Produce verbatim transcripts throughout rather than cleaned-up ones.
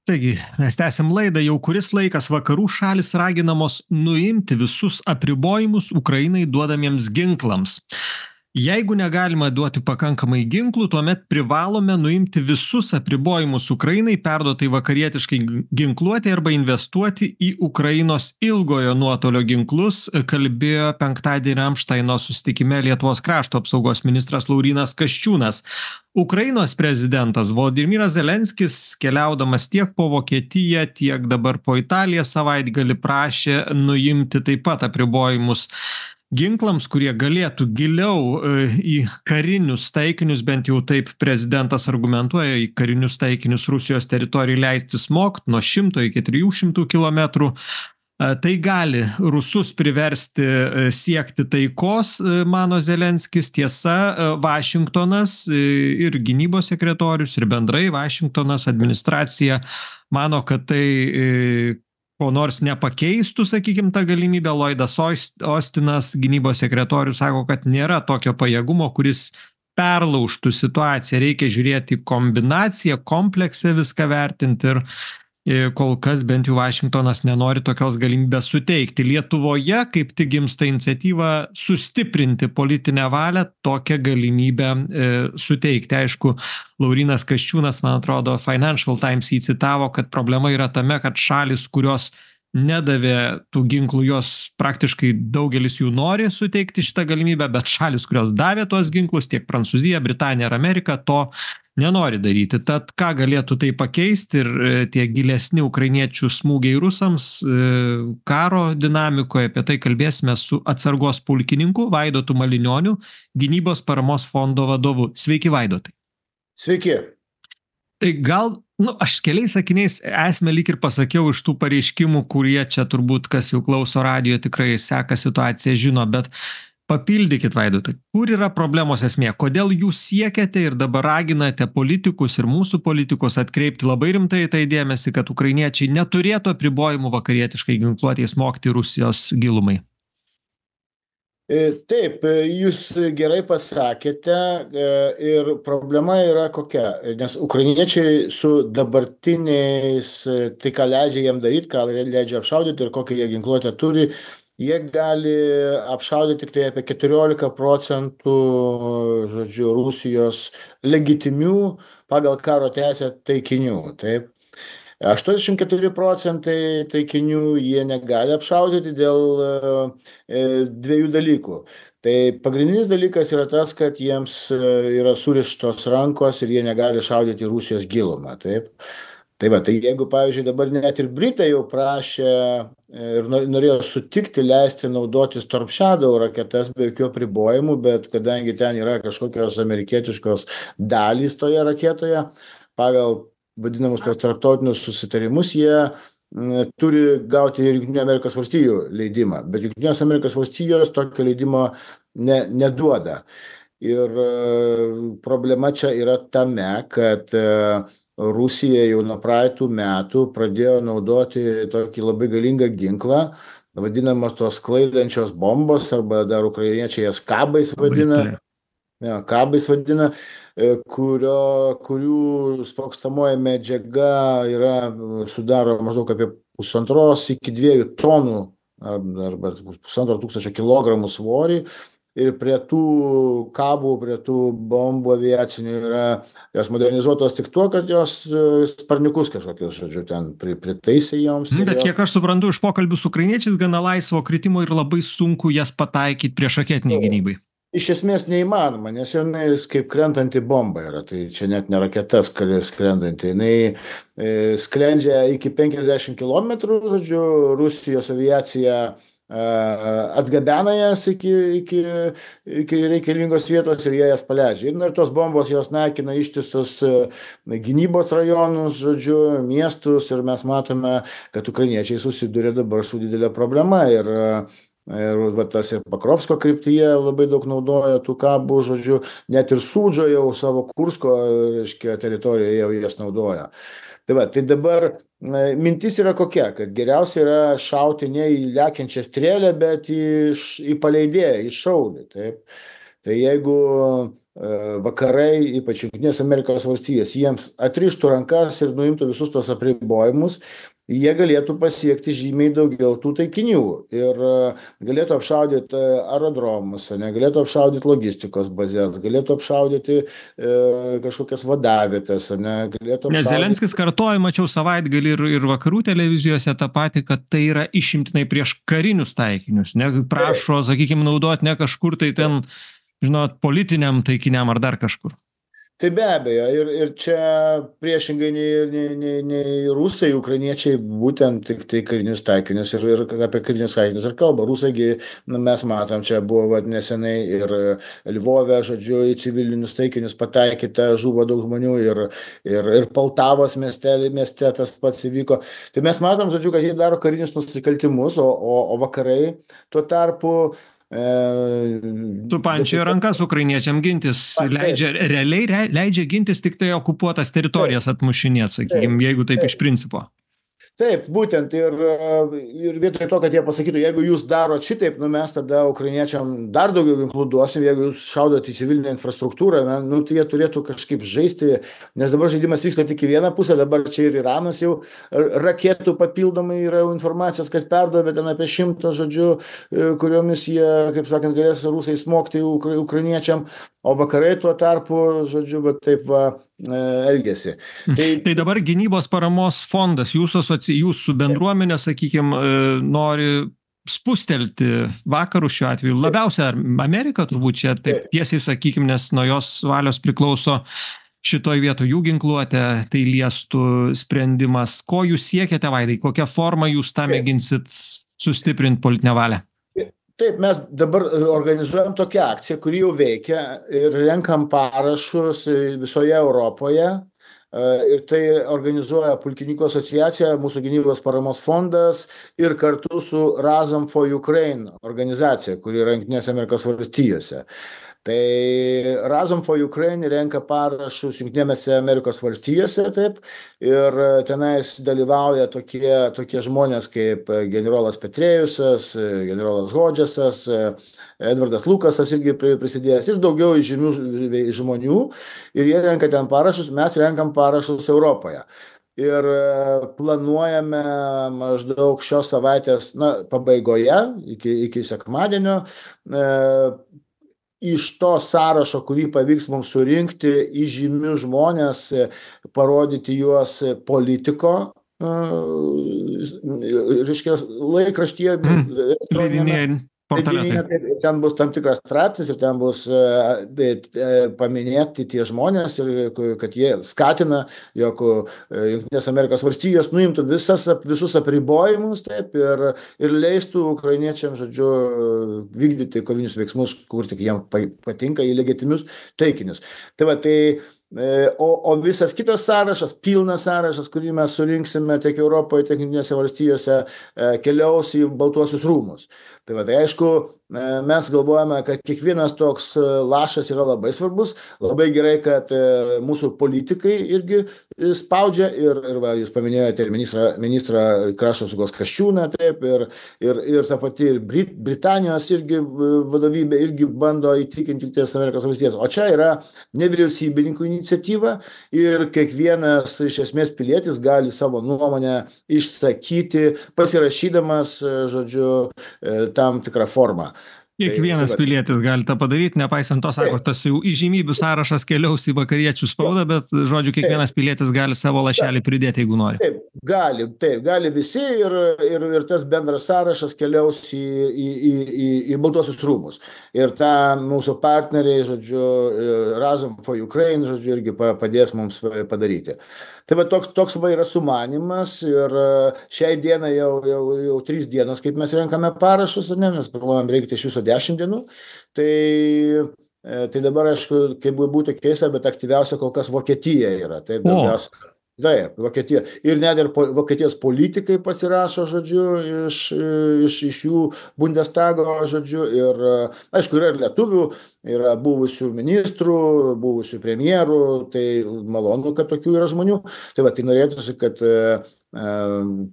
Taigi, mes tęsiam laidą. Jau kuris laikas vakarų šalis raginamos nuimti visus apribojimus Ukrainai duodamiems ginklams. Jeigu negalima duoti pakankamai ginklų, tuomet privalome nuimti visus apribojimus Ukrainai, perduotai vakarietiškai ginkluoti arba investuoti į Ukrainos ilgojo nuotolio ginklus, kalbėjo penktadienį Ramštaino susitikime Lietuvos krašto apsaugos ministras Laurynas Kasčiūnas. Ukrainos prezidentas Volodymyras Zelenskis, keliaudamas tiek po Vokietiją, tiek dabar po Italiją savaitgalį, prašė nuimti taip pat apribojimus ginklams, kurie galėtų giliau į karinius taikinius, bent jau taip prezidentas argumentuoja, į karinius taikinius Rusijos teritorijai leisti smogt nuo šimto iki trijų šimtų kilometrų. Tai gali rusus priversti siekti taikos, mano Zelenskis. Tiesa, Vašingtonas ir gynybos sekretorius, ir bendrai Vašingtonas administracija mano, kad tai ko nors nepakeistų, sakykim, tą galimybę. Lloydas Austinas, gynybos sekretorius, sako, kad nėra tokio pajėgumo, kuris perlaužtų situaciją. Reikia žiūrėti kombinaciją, kompleksą viską vertinti ir kol kas bent jau Vašingtonas nenori tokios galimybės suteikti. Lietuvoje kaip tik gimsta iniciatyva sustiprinti politinę valią, tokią galimybę e, suteikti. Aišku, Laurynas Kasčiūnas, man atrodo, Financial Times jį citavo, kad problema yra tame, kad šalis, kurios nedavė tų ginklų, jos praktiškai daugelis jų nori suteikti šitą galimybę, bet šalis, kurios davė tuos ginklus, tiek Prancūzija, Britanija ir Amerika, to nenori daryti. Tad ką galėtų tai pakeisti ir tie gilesni ukrainiečių smūgiai rusams karo dinamikoje, apie tai kalbėsime su atsargos pulkininku Vaidotu Malinioniu, gynybos paramos fondo vadovu. Sveiki, Vaidotai. Sveiki. Tai gal, nu, aš keliais sakiniais esmę lyg ir pasakiau iš tų pareiškimų, kurie čia turbūt, kas jau klauso radijo, tikrai seka situaciją, žino, bet papildykit, Vaidotai, kur yra problemos esmė? Kodėl jūs siekiate ir dabar raginate politikus ir mūsų politikus atkreipti labai rimtai tai dėmesį, kad ukrainiečiai neturėtų apribojimų vakarietiškai ginkluotei smogti Rusijos gilumai? Taip, jūs gerai pasakėte ir problema yra kokia, nes ukrainiečiai su dabartiniais, tai ką leidžia jiem daryti, ką leidžia apšaudyti ir kokią jie ginkluotę turi, jie gali apšaudyti tik tai apie keturiolika procentų, žodžiu, Rusijos legitimių pagal karo teisę taikinių, taip. aštuoniasdešimt keturi procentai taikinių jie negali apšaudyti dėl e, dviejų dalykų. Tai pagrindinis dalykas yra tas, kad jiems yra surištos rankos ir jie negali šaudyti Rusijos gilumą, taip. Tai va, tai jeigu, pavyzdžiui, dabar net ir Britai jau prašė ir norėjo sutikti leisti naudoti Storm Shadow raketas be jokių apribojimų, bet kadangi ten yra kažkokios amerikietiškos dalys toje raketoje, pagal vadinamus tos tarptautinius susitarimus, jie m, turi gauti ir Jungtinių Amerikos valstijų leidimą, bet Jungtinės Amerikos valstijos tokio leidimo ne, neduoda. Ir e, problema čia yra tame, kad e, Rusija jau nuo praeitų metų pradėjo naudoti tokį labai galingą ginklą, vadinamą tos sklaidančios bombos, arba dar ukrainiečiai jas kabais vadina. Ja, kabais vadina, kurio, kurių sprogstamoji medžiaga yra, sudaro maždaug apie pusantros iki dviejų tonų arba pusantro tūkstančio kilogramų svorį. Ir prie tų kabų, prie tų bombų aviacinių yra jos modernizuotos tik tuo, kad jos sparniukus kažkokius, žodžiu, ten pritaisė joms. Bet jos... kiek aš suprantu iš pokalbių su ukrainiečiais, gana laisvo kritimo ir labai sunku jas pataikyti priešraketiniai gynybai. Iš esmės neįmanoma, nes jinai kaip krentanti bomba yra, tai čia net ne raketas skrendanti, jinai e, sklendžia iki penkiasdešimt kilometrų, žodžiu, Rusijos aviacija e, atgabena jas iki, iki, iki reikalingos vietos ir jie jas paleidžia. Ir, ir tos bombos jos naikina ištisus gynybos rajonus, žodžiu, miestus, ir mes matome, kad ukrainiečiai susiduria dabar su didelė problema. Ir Ir va, tas ir Pakrovsko kryptyje labai daug naudoja tų kabų, žodžiu, net ir Sūdžio jau savo Kursko, reiškia, teritorijoje jau jas naudoja. Tai va, tai dabar mintis yra kokia, kad geriausia yra šauti ne į lekiančią strėlę, bet į, į paleidėją, į šaulį, taip. Tai jeigu vakarai, ypač Jungtinės Amerikos valstijos, jiems atrištų rankas ir nuimtų visus tos apribojimus, jie galėtų pasiekti žymiai daugiau tų taikinių ir galėtų apšaudyti aerodromus, galėtų apšaudyti logistikos bazės, galėtų apšaudyti e, kažkokias vadavietės, galėtų apšaudyti... Nes Zelenskis kartoja, mačiau savaitgalį ir, ir vakarų televizijose tą patį, kad tai yra išimtinai prieš karinius taikinius, ne, prašo, sakykime, naudoti ne kažkur tai ten, žinot, politiniam taikiniam ar dar kažkur. Tai be abejo, ir, ir čia priešingai nei, nei, nei, nei rusai, ukrainiečiai būtent tik tai karinius taikinius ir, ir apie karinius taikinius ir kalba. Rusaigi, na, mes matom, čia buvo vat, nesenai ir Lvove, žodžiu, į civilinius taikinius pataikyta, žuvo daug žmonių ir, ir, ir Poltavos mieste, mieste tas pats įvyko. Tai mes matom, žodžiu, kad jie daro karinius nusikaltimus, o, o, o vakarai tuo tarpu Tu pančioji rankas ukrainiečiam gintis, leidžia, realiai leidžia gintis tik tai okupuotas teritorijas atmušinėt, sakykime, jeigu taip iš principo. Taip, būtent ir, ir vietoj to, kad jie pasakytų, jeigu jūs darot šitaip, nu mes tada ukrainiečiam dar daugiau ginklų duosim, jeigu jūs šaudot į civilinę infrastruktūrą, nu tai jie turėtų kažkaip žaisti, nes dabar žaidimas vyksta tik į vieną pusę, dabar čia ir Iranas jau raketų papildomai yra informacijos, kad perdavė ten apie šimtą, žodžiu, kuriomis jie, kaip sakant, galės rusai smogti ukra, ukrainiečiam, o vakarai tuo tarpu, žodžiu, bet taip va, elgesi. Tai, tai dabar gynybos paramos fondas, jūsų, asoci... jūsų bendruomenė, sakykime, nori spustelti vakarų šiuo atveju. Labiausia Amerika turbūt čia taip tiesiai, sakykime, nes nuo jos valios priklauso šitoj vietoj jų ginkluotė, tai liestų sprendimas. Ko jūs siekiate, Vaidai? Kokią formą jūs tą mėginsit sustiprinti politinę valią? Taip, mes dabar organizuojam tokią akciją, kuri jau veikia ir renkam parašus visoje Europoje. Ir tai organizuoja Pulkininkų asociacija, mūsų gynybos paramos fondas ir kartu su Razom for Ukraine organizacija, kuri yra Jungtinėse Amerikos valstijose. Tai Razom for Ukraine renka parašus Jungtinėse Amerikos valstijose, taip, ir tenais dalyvauja tokie, tokie žmonės kaip generolas Petrėjusas, generolas Hodžesas, Edvardas Lukasas irgi prisidėjęs ir daugiau žymių žmonių ir jie renka ten parašus, mes renkam parašus Europoje. Ir planuojame maždaug šios savaitės, na, pabaigoje, iki, iki sekmadienio, e, iš to sąrašo, kurį pavyks mums surinkti, į žymių žmonės, parodyti juos politiko, reiškia, laikraštyje, mm, ten bus tam tikras straipsnis ir ten bus paminėti tie žmonės ir kad jie skatina, jog Jungtinės Amerikos valstijos nuimtų visas, visus apribojimus, taip, ir, ir leistų ukrainiečiams, žodžiu, vykdyti kovinius veiksmus, kur tik jiems patinka, į legitimius taikinius. Tai va, tai O, o visas kitas sąrašas, pilnas sąrašas, kurį mes surinksime tiek Europoje, tiek Jungtinėse valstijose, keliaus į Baltuosius rūmus. Tai va, tai aišku, mes galvojame, kad kiekvienas toks lašas yra labai svarbus, labai gerai, kad mūsų politikai irgi spaudžia ir, ir va, jūs paminėjote ir ministrą, ministrą krašto apsaugos Kasčiūną, taip, ir, ir, ir ta pati Brit, Britanijos irgi vadovybė irgi bando įtikinti Jungtinės Amerikos valstijas. O čia yra nevyriausybininkų iniciatyva ir kiekvienas iš esmės pilietis gali savo nuomonę išsakyti, pasirašydamas, žodžiu, tam tikrą formą. Kiekvienas tai, tai, pilietis gali tą padaryti, nepaisant to, sako, tas jau įžymybių sąrašas keliaus į vakariečių spaudą, bet, žodžiu, kiekvienas pilietis gali savo lašelį pridėti, jeigu nori. Taip, gali, taip, gali visi ir, ir, ir tas bendras sąrašas keliaus į, į, į, į, į Baltuosius rūmus. Ir tą mūsų partneriai, žodžiu, Razom for Ukraine, žodžiu, irgi padės mums padaryti. Tai va, toks, toks va yra sumanimas ir šiai dienai jau, jau, jau trys dienos, kaip mes renkame parašus, ne, mes planuojam reikti iš viso dešimt dienų, tai, tai dabar, aišku, kaip būtų keista, bet aktyviausia kol kas Vokietija yra. Taip, daugiausia. Taip, Vokietija. Ir net ir po, Vokietijos politikai pasirašo, žodžiu, iš, iš, iš jų Bundestago, žodžiu, ir, aišku, yra ir lietuvių, yra buvusių ministrų, buvusių premjerų, tai malonu, kad tokių yra žmonių. Tai va, tai norėtųsi, kad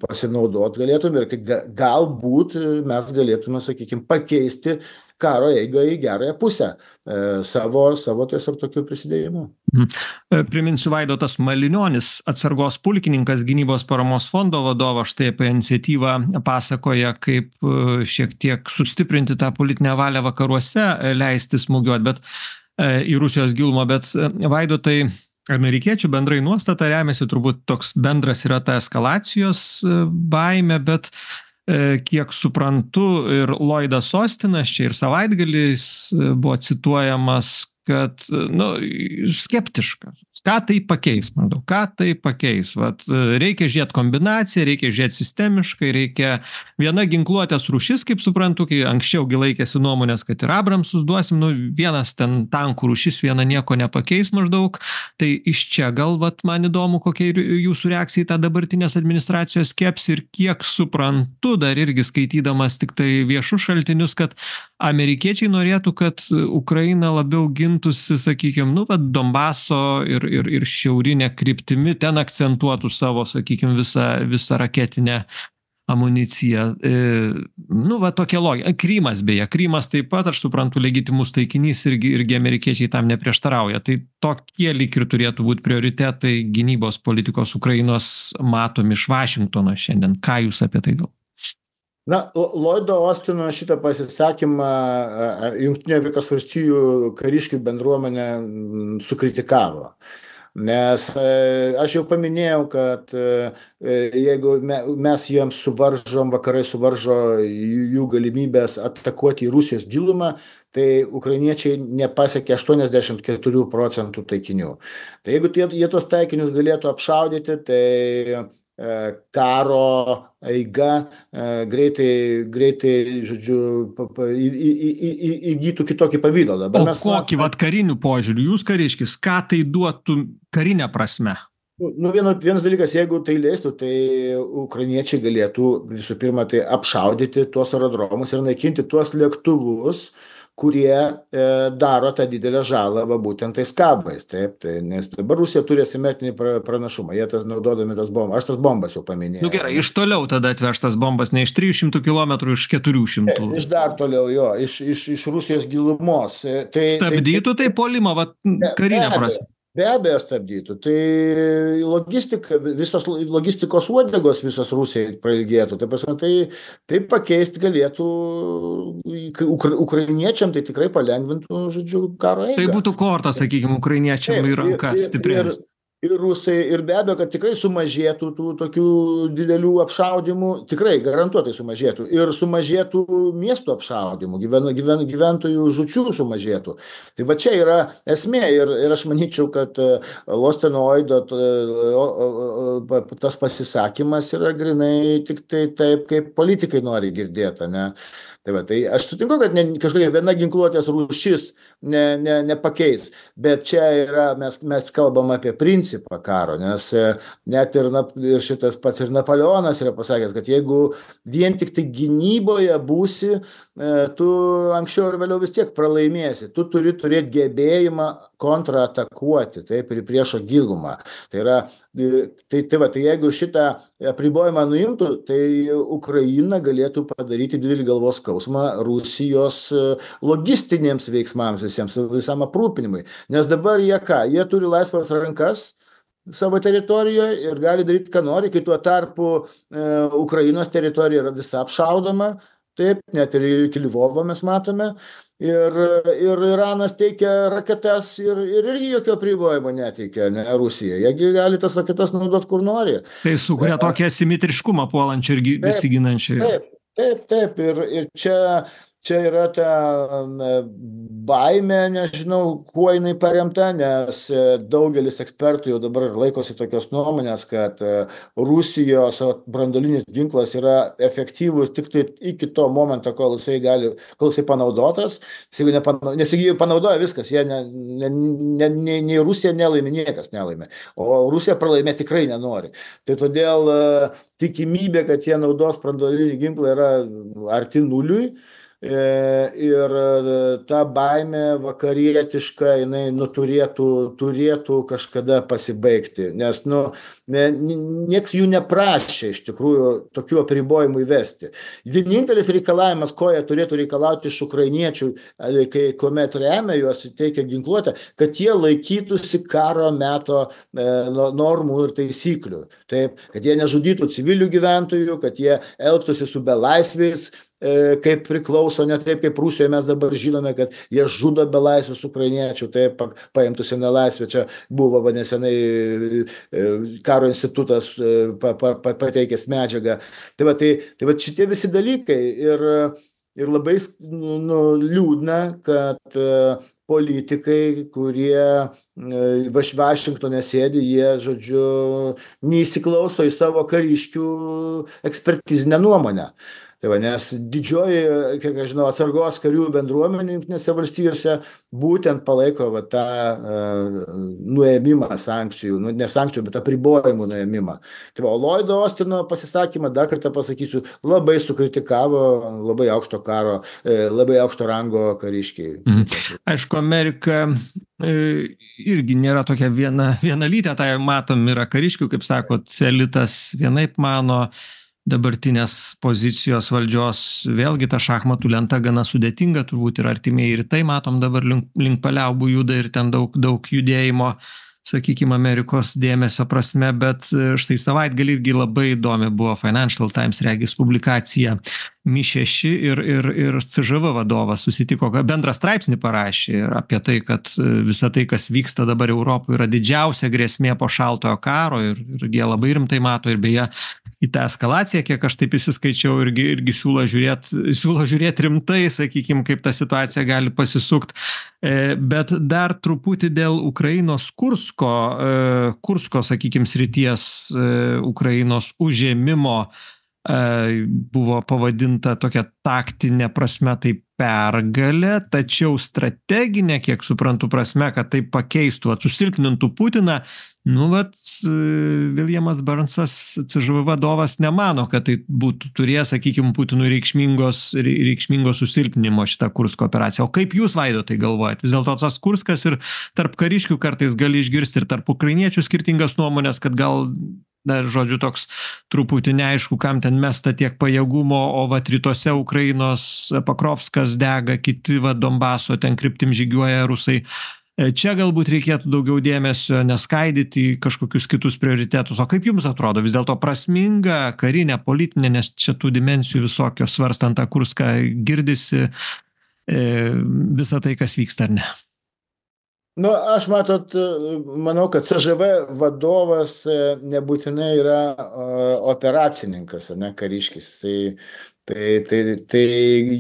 pasinaudot galėtume ir kad galbūt mes galėtume, sakykime, pakeisti karo eigą į gerąją pusę e, savo, savo tiesiog tokiu prisidėjimu. Mhm. Priminsiu, Vaidotas Malinionis, atsargos pulkininkas, gynybos paramos fondo vadovas, štai apie iniciatyvą pasakoja, kaip šiek tiek sustiprinti tą politinę valią vakaruose, leisti smūgiuoti, bet į Rusijos gilumą, bet Vaidotai, amerikiečių bendrai nuostata remiasi, turbūt toks bendras yra ta eskalacijos baimė, bet kiek suprantu, ir Lloydas Austinas čia ir savaitgaliais buvo cituojamas, kad nu, skeptiškas. Ką tai pakeis, maždaug, ką tai pakeis? Vat, reikia žiūrėti kombinaciją, reikia žiūrėti sistemiškai, reikia viena ginkluotės rūšis, kaip suprantu, kai anksčiau gi laikėsi nuomonės, kad ir Abramsus duosim, nu, vienas ten tankų rūšis, viena nieko nepakeis maždaug. Tai iš čia gal, vat, man įdomu, kokia jūsų reakcija į tą dabartinės administracijos skepsį ir kiek suprantu, dar irgi skaitydamas tik tai viešus šaltinius, kad amerikiečiai norėtų, kad Ukraina labiau gintųsi, sakykime, nu, vat, Donbaso ir ir, ir šiaurinė kryptimi, ten akcentuotų savo, sakykime, visą, visą raketinę amuniciją. E, nu, va tokia logika. Krymas beje, Krymas taip pat, aš suprantu, legitimus taikinys irgi, irgi amerikiečiai tam neprieštarauja. Tai tokie lyg ir turėtų būti prioritetai gynybos politikos Ukrainos matomi iš Vašingtono šiandien. Ką jūs apie tai galvojate? Na, Lloydo Austino šitą pasisakymą Jungtinių Amerikos valstijų kariškių bendruomenė sukritikavo. Nes aš jau paminėjau, kad jeigu mes jiems suvaržom, vakarai suvaržo jų galimybės atakuoti į Rusijos gilumą, tai ukrainiečiai nepasiekė aštuoniasdešimt keturių procentų taikinių. Tai jeigu jie tos taikinius galėtų apšaudyti, tai karo eiga greitai, greitai, žodžiu, įgytų kitokį pavydalą. O kokį vat karinių požiūrių, jūs kariškis, ką tai duotų karinę prasme? Nu, vieno, vienas dalykas, jeigu tai leistų, tai ukrainiečiai galėtų visų pirma tai apšaudyti tuos aerodromus ir naikinti tuos lėktuvus, kurie e, daro tą didelę žalą va, būtent tais kabais. Taip, tai, nes dabar Rusija turi asimetrinį pranašumą, jie tas naudodami tas bombas. Aš tas bombas jau paminėjau. Nu gerai, iš toliau tada atvežtas bombas, ne iš trijų šimtų kilometrų, iš keturių šimtų. E, iš dar toliau, jo, iš, iš, iš Rusijos gilumos. Tai, Stabdytų tai, tai polimą, va, karinę prasme. Be abejo stabdytų. Tai logistika, visos logistikos uodegos visos Rusijai prailgėtų. Tai, prasme, tai, tai pakeisti galėtų ukra, ukrainiečiam, tai tikrai palengvintų, žodžiu, karo eigą. Tai būtų kortas, sakykime, ukrainiečiam į rankas stiprės. Ir rusai, ir be abejo, kad tikrai sumažėtų tų tokių didelių apšaudimų, tikrai garantuotai sumažėtų. Ir sumažėtų miestų apšaudimų, gyven, gyven, gyventojų žučių sumažėtų. Tai va čia yra esmė ir, ir aš manyčiau, kad Losteno Oido tas pasisakymas yra grinai tik tai taip, kaip politikai nori girdėti, ne? Tai, va, tai aš sutinku, kad ne, kažkokia viena ginkluotės rūšis ne, ne, nepakeis, bet čia yra, mes, mes kalbam apie principą karo, nes net ir, ir šitas pats ir Napoleonas yra pasakęs, kad jeigu vien tik tai gynyboje būsi, tu anksčiau ir vėliau vis tiek pralaimėsi, tu turi turėti gebėjimą kontratakuoti, taip, ir priešo gilumą. Tai yra, tai, tai, va, tai jeigu šitą apribojimą nuimtų, tai Ukraina galėtų padaryti didelį galvos skausmą Rusijos logistinėms veiksmams visiems, visam aprūpinimui. Nes dabar jie ką? Jie turi laisvas rankas savo teritorijoje ir gali daryti, ką nori, kai tuo tarpu e, Ukrainos teritorija yra visa apšaudoma, taip, net ir iki Lvovo mes matome. Ir, ir Iranas teikia raketas ir, ir irgi jokio apribojimo neteikia, ne, Rusija. Jie gali tas raketas naudoti kur nori. Tai sukuria ja, tokį asimetriškumą puolančią ir besiginančią. Taip, taip, taip. Ir, ir čia, čia yra ta baimė, nežinau, kuo jinai paremta, nes daugelis ekspertų jau dabar laikosi tokios nuomonės, kad Rusijos branduolinis ginklas yra efektyvus tik tai iki to momento, kol jisai gali, kol jisai panaudotas. Nes jeigu panaudoja viskas, jie ne, ne, ne, ne, nei Rusija nelaimė, niekas nelaimė. O Rusija pralaimė tikrai nenori. Tai todėl tikimybė, kad jie naudos branduolinį ginklą yra arti nuliui. ir ta baimė vakarietiška, jinai nu, turėtų, turėtų kažkada pasibaigti, nes nu, ne, nieks jų neprašė iš tikrųjų tokių apribojimų įvesti. Vienintelis reikalavimas, ko jie turėtų reikalauti iš ukrainiečių, kai kuomet remia juos, teikia ginkluotę, kad jie laikytųsi karo meto e, normų ir taisyklių. Taip, kad jie nežudytų civilių gyventojų, kad jie elgtųsi su belaisviais, e, kaip priklauso, ne taip kaip Rusijoje mes dabar žinome, kad jie žudo belaisvius ukrainiečių, taip paimtųsi nelaisvę. Čia buvo nesenai e, karo institutas e, pa, pa, pa, pateikęs medžiagą. Tai va, tai, tai va šitie visi dalykai ir, ir labai nu, liūdna, kad e, politikai, kurie va Vašingtone sėdi, jie, žodžiu, neįsiklauso į savo kariškių ekspertizinę nuomonę. Tai va, nes didžioji, kiek aš žinau, atsargos karių bendruomenė Jungtinėse valstijose būtent palaiko va, tą uh, nuėmimą sankcijų, nu, ne sankcijų, bet apribojimų nuėmimą. Tai va, Lloydo Austino pasisakymą, dar kartą pasakysiu, labai sukritikavo labai aukšto karo, labai aukšto rango kariškiai. Mhm. Aišku, Amerika irgi nėra tokia viena, vienalytė, tai matom, yra kariškių, kaip sakot, elitas vienaip mano, dabartinės pozicijos valdžios, vėlgi ta šachmatų lenta gana sudėtinga, turbūt ir artimieji rytai, matom dabar link, link paliaubų juda ir ten daug, daug judėjimo, sakykime, Amerikos dėmesio prasme, bet štai savaitgalį irgi labai įdomi buvo Financial Times regis publikacija Mi šeši ir, ir, ir C Ž V vadovas susitiko, bendrą straipsnį parašė apie tai, kad visa tai, kas vyksta dabar Europoje, yra didžiausia grėsmė po šaltojo karo ir, ir jie labai rimtai mato ir beje į tą eskalaciją, kiek aš taip įsiskaičiau, irgi, irgi siūlo žiūrėti siūlo žiūrėt rimtai, sakykime, kaip ta situacija gali pasisukt. Bet dar truputį dėl Ukrainos Kursko, Kursko, sakykime, srities Ukrainos užėmimo buvo pavadinta tokia taktinė prasme tai pergalė, tačiau strateginė, kiek suprantu, prasme, kad tai pakeistų, susilpnintų Putiną. Nu, vat, Viljamas Burnsas, C Ž V vadovas, nemano, kad tai būtų turėjęs, sakykime, Putinui reikšmingos, reikšmingos susilpninimo šitą Kursko operaciją. O kaip jūs, Vaido, tai galvojat? Vis dėlto tas Kurskas ir tarp kariškių kartais gali išgirsti ir tarp ukrainiečių skirtingas nuomonės, kad gal dar, žodžiu, toks truputį neaišku, kam ten mesta tiek pajėgumo, o vat rytuose Ukrainos Pakrovskas dega, kiti va Donbaso ten kryptim žygiuoja rusai. Čia galbūt reikėtų daugiau dėmesio neskaidyti į kažkokius kitus prioritetus. O kaip jums atrodo, vis dėlto prasminga karinė, politinė, nes čia tų dimensijų visokios svarstant tą Kurską girdisi e, visą tai, kas vyksta, ar ne? Nu, aš matot, manau, kad C Ž V vadovas nebūtinai yra operacininkas, ne kariškis. Tai, tai, tai, tai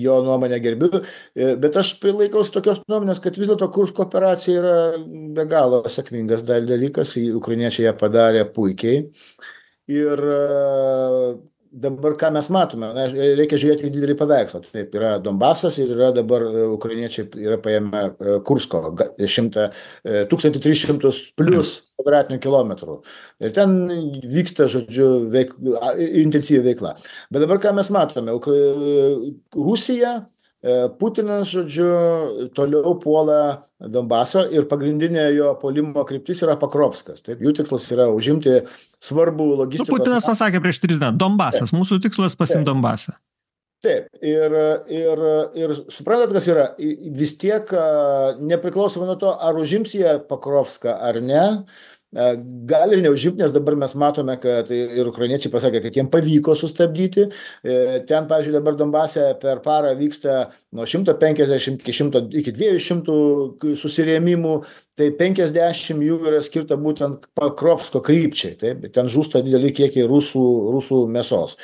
jo nuomonę gerbiu, bet aš prilaikaus tokios nuomonės, kad vis dėlto Kursko operacija yra be galo sėkmingas dalykas, ukrainiečiai ją padarė puikiai. Ir dabar ką mes matome, na, reikia žiūrėti į didelį paveikslą. Taip, yra Donbasas ir yra dabar ukrainiečiai yra paėmę Kursko tūkstantį tris šimtus plus kvadratinių kilometrų. Ir ten vyksta, žodžiu, veik, intensyvi veikla. Bet dabar ką mes matome, Rusija, Putinas, žodžiu, toliau puola Donbaso ir pagrindinė jo puolimo kryptis yra Pakrovskas. Taip, jų tikslas yra užimti svarbų logistikos... Nu, Putinas pasakė prieš tris dienas, Donbasas, mūsų tikslas pasimti Donbasą. Taip, ir, ir, ir suprantat, kas yra, vis tiek nepriklausomai nuo to, ar užims jie Pakrovską ar ne, gal ir neužimti, nes dabar mes matome, kad ir ukrainiečiai pasakė, kad jiems pavyko sustabdyti. Ten, pavyzdžiui, dabar Donbase per parą vyksta nuo šimto penkiasdešimt iki, šimto, iki dviejų šimtų susirėmimų, tai penkiasdešimt jų yra skirta būtent Pakrovsko krypčiai. Taip? Ten žūsta dideli kiekiai rusų, rusų mėsos.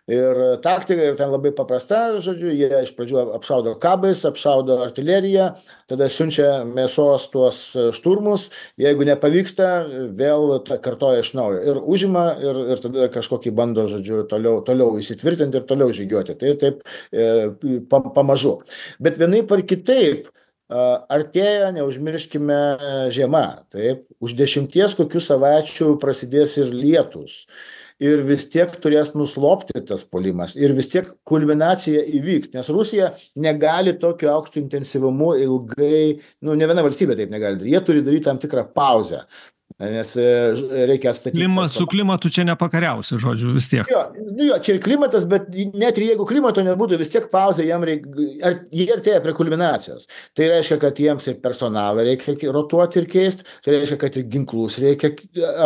Ir taktika ir ten labai paprasta, žodžiu, jie iš pradžių apšaudo kabais, apšaudo artileriją, tada siunčia mėsos tuos šturmus, jeigu nepavyksta, vėl kartoja iš naujo ir užima ir, ir tada kažkokį bando, žodžiu, toliau, toliau įsitvirtinti ir toliau žygiuoti. Tai taip e, pamažu. Bet vienaip ar kitaip, artėja, neužmirškime, žiema. Taip, už dešimties kokių savaičių prasidės ir lietus. ir vis tiek turės nuslopti tas puolimas ir vis tiek kulminacija įvyks, nes Rusija negali tokiu aukštu intensyvumu ilgai, nu, ne viena valstybė taip negali daryti, jie turi daryti tam tikrą pauzę, nes reikia atstatyti. Klima, su klimatu čia nepakariausi, žodžiu, vis tiek. Jo, nu jo, čia ir klimatas, bet net ir jeigu klimato nebūtų, vis tiek pauzė jam reikia, ar, jie artėja prie kulminacijos. Tai reiškia, kad jiems ir personalą reikia rotuoti ir keisti, tai reiškia, kad ir ginklus reikia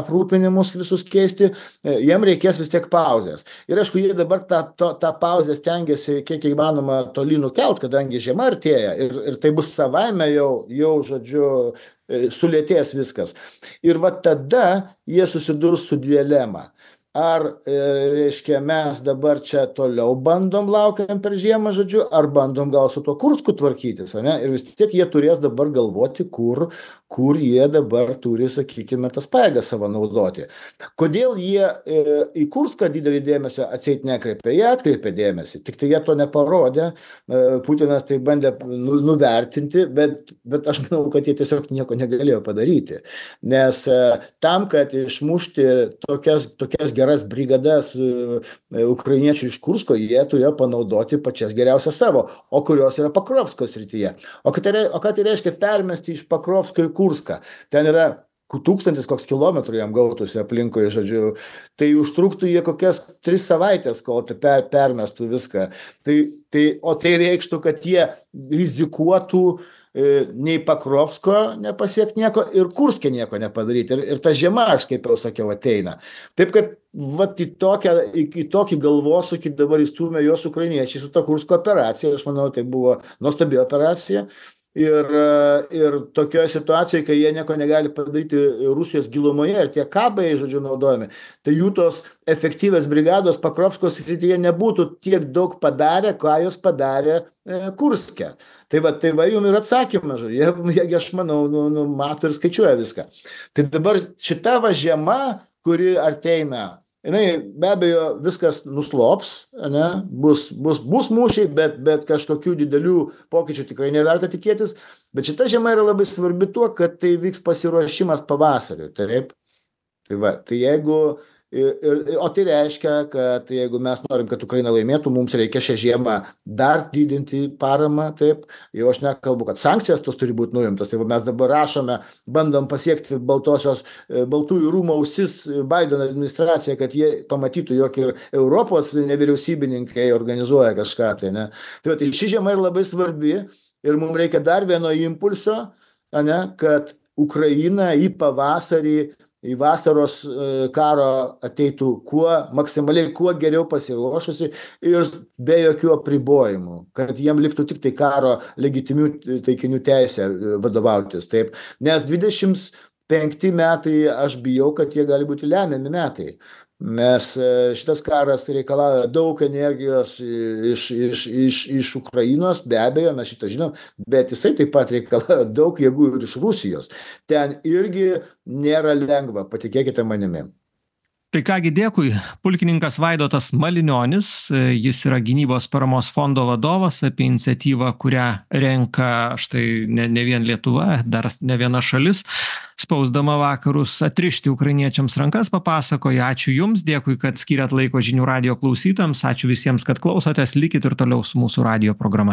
aprūpinimus visus keisti, jiem reikės vis tiek pauzės. Ir aišku, jie dabar tą, tą, tą pauzę stengiasi kiek įmanoma toli nukelt, kadangi žiema artėja ir, ir tai bus savaime jau, jau žodžiu, sulėtės viskas. Ir va tada jie susidurs su dilema. Ar, reiškia, mes dabar čia toliau bandom laukiam per žiemą, žodžiu, ar bandom gal su tuo Kursku tvarkytis, ne? Ir vis tiek jie turės dabar galvoti, kur, kur jie dabar turi, sakykime, tas pajėgas savo naudoti. Kodėl jie e, į Kurską didelį dėmesio atseit nekreipė? Jie atkreipė dėmesį, tik tai jie to neparodė. E, Putinas tai bandė nu, nuvertinti, bet, bet aš manau, kad jie tiesiog nieko negalėjo padaryti. Nes e, tam, kad išmušti tokias, tokias geras brigadas ukrainiečių iš Kursko, jie turėjo panaudoti pačias geriausias savo, o kurios yra Pakrovsko srityje. O ką tai, o ką tai reiškia permesti iš Pakrovsko į Kurską? Ten yra tūkstantis koks kilometrų jam gautųsi aplinkoje, žodžiu. Tai užtruktų jie kokias tris savaitės, kol tai per, permestų viską. Tai, tai, o tai reikštų, kad jie rizikuotų nei Pakrovsko nepasiekti nieko ir Kurske nieko nepadaryti. Ir, ir ta žiema, aš kaip jau sakiau, ateina. Taip kad vat, į, tokią, į, į tokį galvosūkį dabar įstūmė jos ukrainiečiai su ta Kursko operacija. Aš manau, tai buvo nuostabi operacija. Ir, ir tokioje situacijoje, kai jie nieko negali padaryti Rusijos gilumoje ir tie kabai, žodžiu, naudojami, tai jų tos efektyvios brigados Pakrovskos srityje nebūtų tiek daug padarę, ką jos padarė e, Kurske. Tai va, tai va jums ir atsakymas, žodžiu, jie, jie, aš manau, nu, nu, mato ir skaičiuoja viską. Tai dabar šita va žiema, kuri arteina, jinai be abejo viskas nuslops, ne? Bus, bus, bus mūšiai, bet, bet kažkokių didelių pokyčių tikrai neverta tikėtis. Bet šita žiema yra labai svarbi tuo, kad tai vyks pasiruošimas pavasariui. Taip? Tai va, tai jeigu, ir, ir, o tai reiškia, kad jeigu mes norim, kad Ukraina laimėtų, mums reikia šią žiemą dar didinti paramą. Taip? Jau aš nekalbu, kad sankcijas tos turi būti nuimtas. Tai mes dabar rašome, bandom pasiekti baltosios, baltųjų rūmų ausis Bideno administraciją, kad jie pamatytų, jog ir Europos nevyriausybininkai organizuoja kažką. Tai, ne? Tai, va, tai ši žiema yra labai svarbi ir mums reikia dar vieno impulso, ne? Kad Ukraina į pavasarį, į vasaros karo ateitų kuo maksimaliai, kuo geriau pasiruošusi ir be jokių apribojimų, kad jiem liktų tik tai karo legitimių taikinių teisę vadovautis. Taip. Nes dvidešimt penkti metai, aš bijau, kad jie gali būti lemiami metai. Nes šitas karas reikalauja daug energijos iš, iš, iš, iš Ukrainos, be abejo, mes šitą žinom, bet jisai taip pat reikalauja daug jėgų ir iš Rusijos. Ten irgi nėra lengva, patikėkite manimi. Tai kągi dėkui, pulkininkas Vaidotas Malinionis, jis yra gynybos paramos fondo vadovas, apie iniciatyvą, kurią renka štai ne, ne vien Lietuva, dar ne viena šalis, spausdama vakarus atrišti ukrainiečiams rankas, papasakoja. Ačiū Jums, dėkui, kad skyrėt laiko Žinių radijo klausytojams, ačiū visiems, kad klausotės, likit ir toliau su mūsų radijo programa.